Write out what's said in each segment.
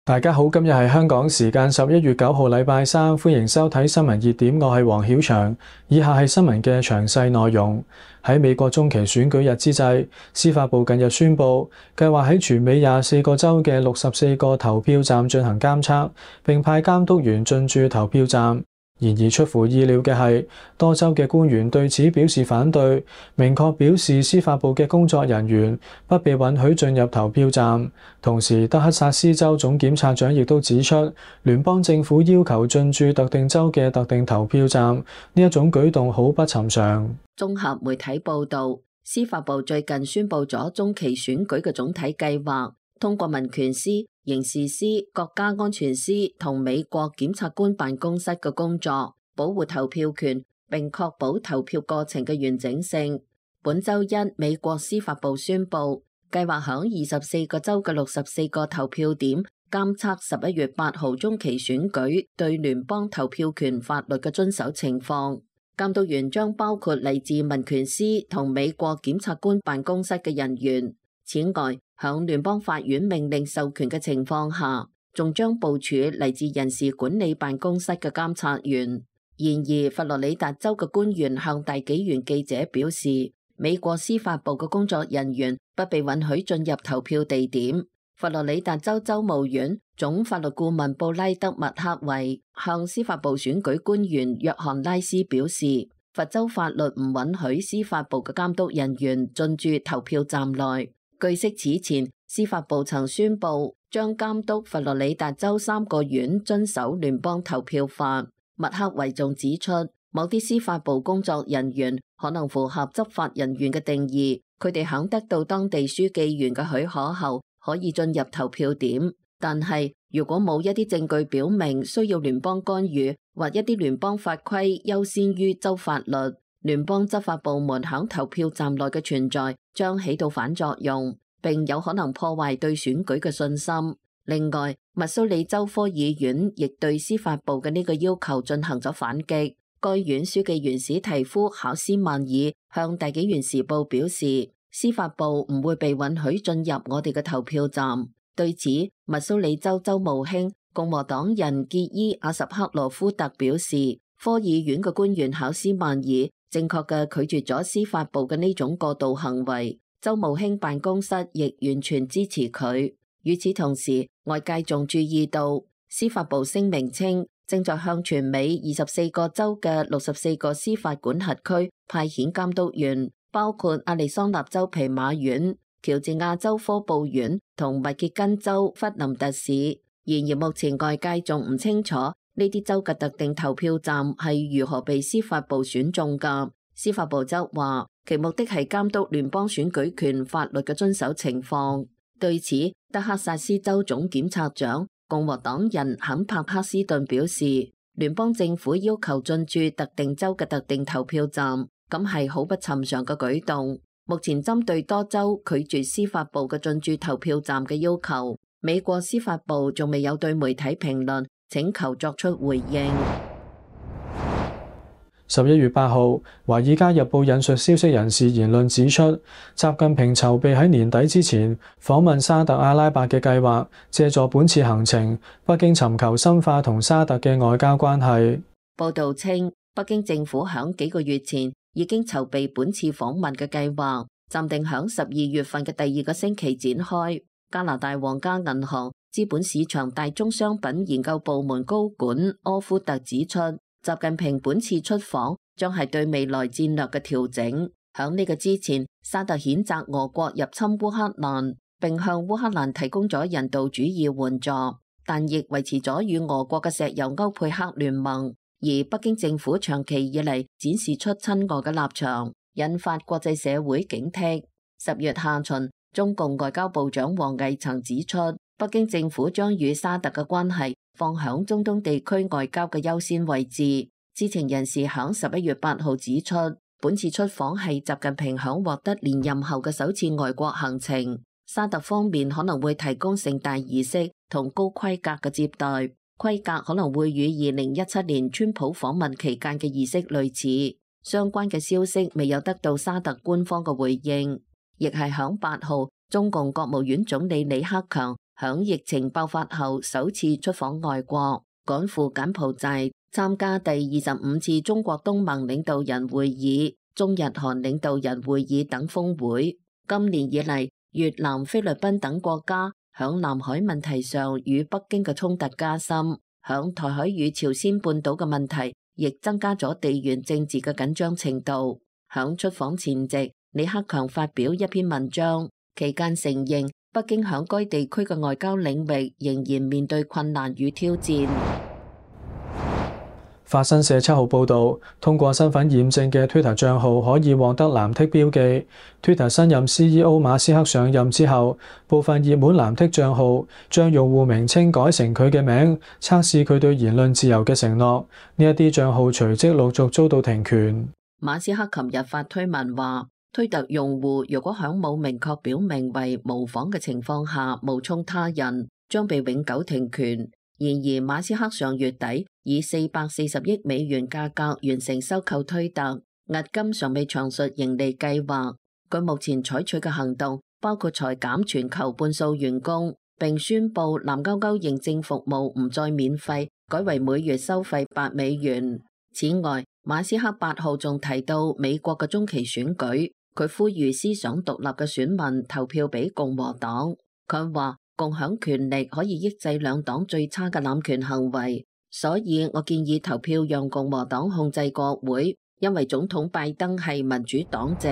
大家好，今日係香港時間11月9號禮拜三，歡迎收睇新聞熱點，我係黃曉翔。以下係新聞嘅詳細內容。喺美國中期選舉日之際，司法部近日宣布，計劃喺全美24個州嘅64個投票站進行監測，並派監督員進駐投票站。然而出乎意料嘅係，多州嘅官員對此表示反對，明確表示司法部嘅工作人員不被允許進入投票站。同時，德克薩斯州總檢察長亦都指出，聯邦政府要求進駐特定州嘅特定投票站，呢一種舉動好不尋常。綜合媒體報導，司法部最近宣布咗中期選舉嘅總體計劃，通過民權司、刑事司、國家安全司同美國檢察官辦公室嘅工作，保護投票權並確保投票過程嘅完整性。本週一，美國司法部宣布，計劃響24個州嘅64個投票點監測11月8號中期選舉對聯邦投票權法律嘅遵守情況。監督員將包括嚟自民權司同美國檢察官辦公室嘅人員。此外，響聯邦法院命令授權嘅情況下，仲將部署嚟自人事管理辦公室嘅監察員。然而，佛羅里達州嘅官員向大紀元記者表示，美國司法部嘅工作人員不被允許進入投票地點。佛羅里達州州務院總法律顧問布拉德麥克維向司法部選舉官員約翰拉斯表示，佛州法律唔允許司法部嘅監督人員進駐投票站內。據悉，此前司法部曾宣布將監督佛羅里達州3個縣遵守聯邦投票法。麥克維仲指出，某啲司法部工作人員可能符合執法人員嘅定義，佢哋響得到當地書記員嘅許可後可以進入投票點。但係如果冇一啲證據表明需要聯邦干預，或一啲聯邦法規優先於州法律，聯邦執法部門響投票站內嘅存在將起到反作用，並有可能破壞對選舉嘅信心。另外，密蘇里州科議院亦對司法部嘅呢個要求進行咗反擊。該院書記員史提夫考斯曼爾向大紀元時報表示，司法部唔會被允許進入我哋嘅投票站。對此，密蘇里州州務卿共和黨人傑伊阿什克羅夫特表示，科議院嘅官員考斯曼爾正確嘅拒絕咗司法部嘅呢種過度行為，州務卿辦公室亦完全支持佢。與此同時，外界仲注意到司法部聲明稱，正在向全美24個州嘅64個司法管轄區派遣監督員，包括亞利桑那州皮馬縣、喬治亞州科布縣同密歇根州弗林特市。然而目前外界仲唔清楚呢啲州嘅特定投票站係如何被司法部選中㗎。司法部則話，其目的係監督聯邦選舉權法律嘅遵守情況。對此，德克薩斯州總檢察長共和黨人肯帕克斯頓表示，聯邦政府要求進駐特定州嘅特定投票站，咁係好不尋常嘅舉動。目前針對多州拒絕司法部嘅進駐投票站嘅要求，美國司法部仲未有對媒體評論請求作出回應。11月8號，《華爾街日報》引述消息人士言論指出，習近平籌備喺年底之前訪問沙特阿拉伯嘅計劃，借助本次行程，北京尋求深化同沙特嘅外交關係。報導稱，北京政府響幾個月前已經籌備本次訪問嘅計劃，暫定響12月份嘅第2個星期展開。加拿大皇家銀行資本市場大宗商品研究部門高管柯夫特指出，習近平本次出訪將係對未來戰略嘅調整。響呢個之前，沙特譴責俄國入侵烏克蘭，並向烏克蘭提供咗人道主義援助，但亦維持咗與俄國嘅石油歐佩克聯盟。而北京政府長期以嚟展示出親俄嘅立場，引發國際社會警惕。10月下旬，中共外交部長王毅曾指出，北京政府將與沙特嘅關係放響中東地區外交嘅優先位置。知情人士響11月8號指出，本次出訪係習近平響獲得連任後嘅首次外國行程。沙特方面可能會提供盛大儀式同高規格嘅接待，規格可能會與2017年川普訪問期間嘅儀式類似。相關嘅消息未有得到沙特官方嘅回應。亦係響8號，中共國務院總理李克強響疫情爆發後首次出訪外國，趕赴柬埔寨參加第25次中國東盟領導人會議、中日韓領導人會議等峰會。今年以嚟，越南、菲律賓等國家響南海問題上與北京嘅衝突加深，響台海與朝鮮半島嘅問題亦增加咗地緣政治嘅緊張程度。響出訪前夕，李克強發表一篇文章，期間承認北京響該地區嘅外交領域仍然面對困難與挑戰。法新社7號報導，通過身份驗證嘅 Twitter 帳號可以獲得藍剔標記。Twitter 新任 CEO 馬斯克上任之後，部分熱門藍剔帳號將用戶名稱改成佢嘅名，測試佢對言論自由嘅承諾。呢一啲帳號隨即陸續遭到停權。馬斯克琴日發推文話，推特用戶如果響冇明確表明為模仿嘅情況下冒充他人，將被永久停權。然而，馬斯克上月底以440億美元價格完成收購推特，押金尚未詳述盈利計劃。佢目前採取嘅行動包括裁減全球半數員工，並宣布藍勾勾認證服務唔再免費，改為每月收費8美元。此外，馬斯克8號仲提到美國嘅中期選舉，佢呼籲思想獨立嘅選民投票俾共和黨。佢話，共享權力可以抑制兩黨最差嘅濫權行為，所以我建議投票讓共和黨控制國會，因為總統拜登係民主黨籍。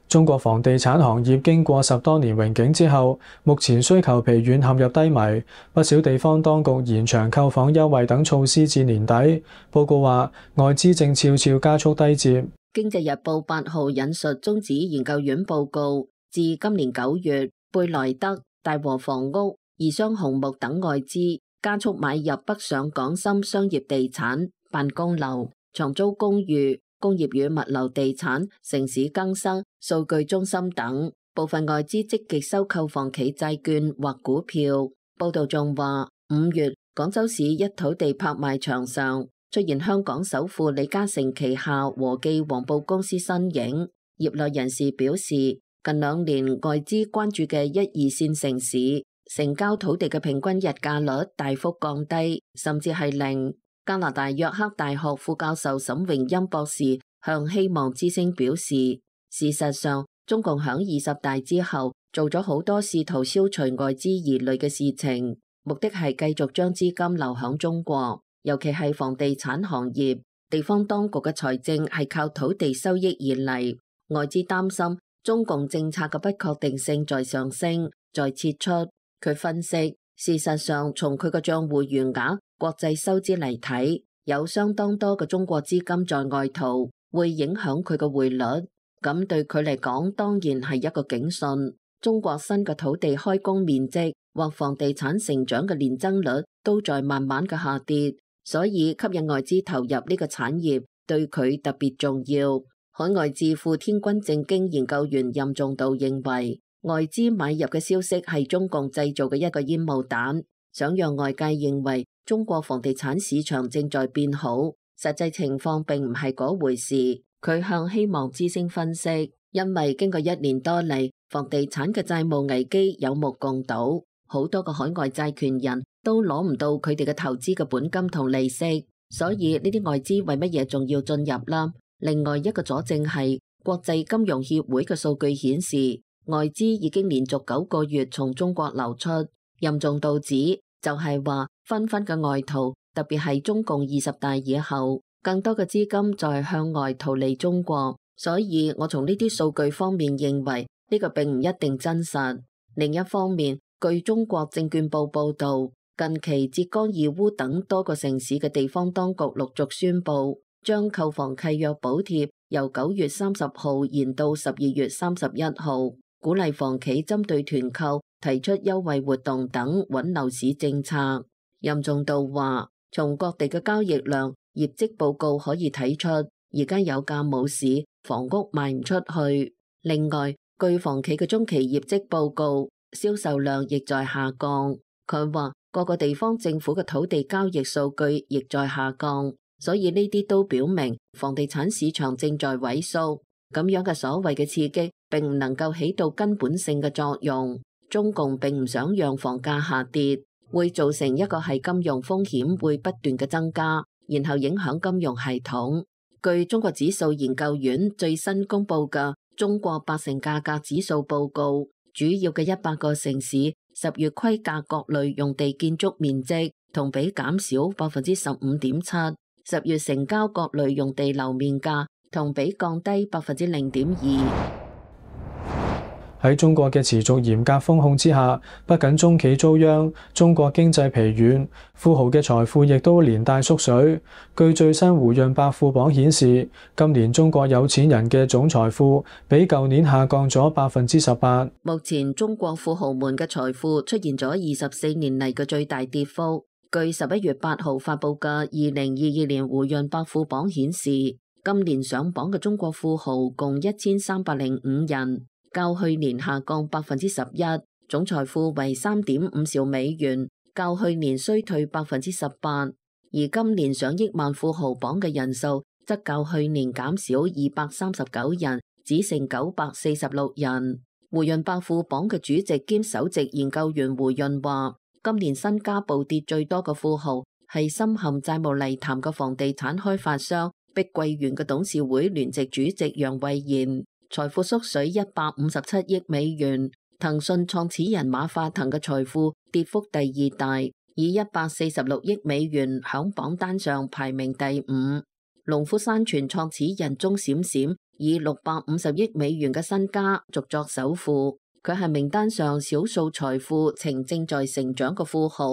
中國房地產行業經過10多年榮景之後，目前需求疲軟，陷入低迷。不少地方當局延長購房優惠等措施至年底。報告話，外資正悄悄加速低接。經濟日報8號引述中指研究院報告，自今年9月，貝萊德、大和房屋、宜商紅木等外資加速買入北上廣深商業地產、辦公樓、長租公寓、工業與物流地產、城市更新、數據中心等。部分外資積極收購房企債券或股票。報道仲話，5月廣州市一土地拍賣場上出現香港首富李嘉誠旗下和記黃埔公司身影。業內人士表示，近2年外資關注嘅1、2線城市成交土地嘅平均日價率大幅降低，甚至係零。加拿大約克大學副教授沈榮欽博士向希望之聲表示，事實上，中共響20大之後做咗好多試圖消除外資疑慮嘅事情，目的係繼續將資金流向中國，尤其係房地產行業。地方當局嘅財政係靠土地收益而嚟，外資擔心中共政策嘅不確定性在上升，在撤出。佢分析，事實上從佢嘅賬戶餘額、國際收支嚟睇，有相當多嘅中國資金在外逃，會影響佢嘅匯率。咁對佢嚟講，當然係一個警訊。中國新嘅土地開工面積或房地產成長嘅年增率都在慢慢嘅下跌，所以吸引外資投入呢個產業對佢特別重要。海外智庫天君正經研究員任仲道認為，外資買入嘅消息係中共製造嘅一個煙霧彈，想讓外界認為中國房地產市場正在變好，實際情況並唔係嗰回事。佢向希望之聲分析，因為經過1年多嚟，房地產嘅債務危機有目共睹，好多個海外債權人都攞唔到佢哋嘅投資嘅本金同利息，所以呢啲外資為乜嘢仲要進入啦？另外一個佐證係國際金融協會嘅數據顯示，外資已經連續9個月從中國流出。任重道指就係話，紛紛嘅外逃，特別係中共20大以後，更多嘅資金在向外逃離中國，所以我從呢啲數據方面認為呢個並唔一定真實。另一方面，據中國證券報報道，近期浙江義烏等多個城市嘅地方當局陸續宣布，將購房契約補貼由9月30號延到12月31號，鼓勵房企針對團購提出優惠活動等穩樓市政策。任仲道話，從各地嘅交易量、業績報告可以睇出，而家有價冇市，房屋賣唔出去。另外，據房企嘅中期業績報告，銷售量亦在下降。佢話各個地方政府嘅土地交易數據亦在下降，所以呢啲都表明房地產市場正在萎縮。咁樣嘅所謂嘅刺激並唔能夠起到根本性嘅作用。中共並唔想讓房價下跌，會造成一個係金融風險會不斷嘅增加，然後影響金融系統。據中國指數研究院最新公布嘅中國80價格指數報告，主要嘅100個城市10月規價各類用地建築面積同比減少15.7%，10月成交各類用地樓面價同比降低0.2%。喺中國嘅持續嚴格風控之下，不僅中企遭殃，中國經濟疲軟，富豪嘅財富亦都連帶縮水。據最新胡潤百富榜顯示，今年中國有錢人嘅總財富比舊年下降咗18%。目前中國富豪們嘅財富出現咗24年嚟嘅最大跌幅。據11月8號發布嘅2022年胡潤百富榜顯示，今年上榜嘅中國富豪共1305人。較去年下降11%，總財富為3.5兆美元，較去年衰退18%。而今年上億萬富豪榜嘅人數則較去年減少239人，只剩946人。胡潤百富榜嘅主席兼首席研究員胡潤話，今年身家暴跌最多嘅富豪係深陷債務泥潭嘅房地產開發商碧桂園嘅董事會聯席主席楊惠妍。財富縮水157億美元，騰訊創始人馬化騰嘅財富跌幅第二大，以146億美元響榜單上排名第5。農夫山泉創始人鐘閃閃以650億美元嘅身家續作首富，佢係名單上少數財富呈正在成長嘅富豪，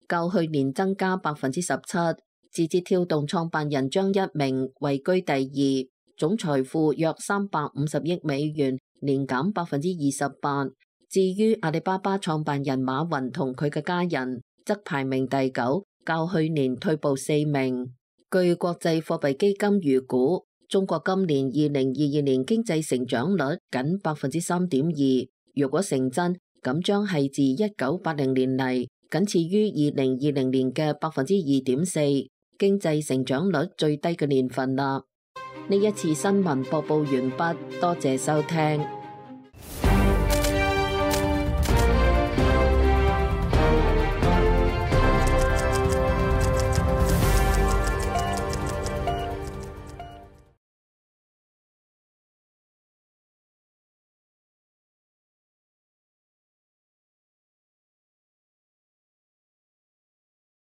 較去年增加17%。字節跳動創辦人張一鳴位居第2。總財富約350億美元，年減28%。至於阿里巴巴創辦人馬雲同佢嘅家人，則排名第9，較去年退步4名。據國際貨幣基金預估，中國今年2022年經濟成長率僅3.2%，如果成真，咁將係自1980年嚟僅次於2020年嘅2.4%，經濟成長率最低嘅年份啦。呢一次新聞播報完畢，多謝收聽。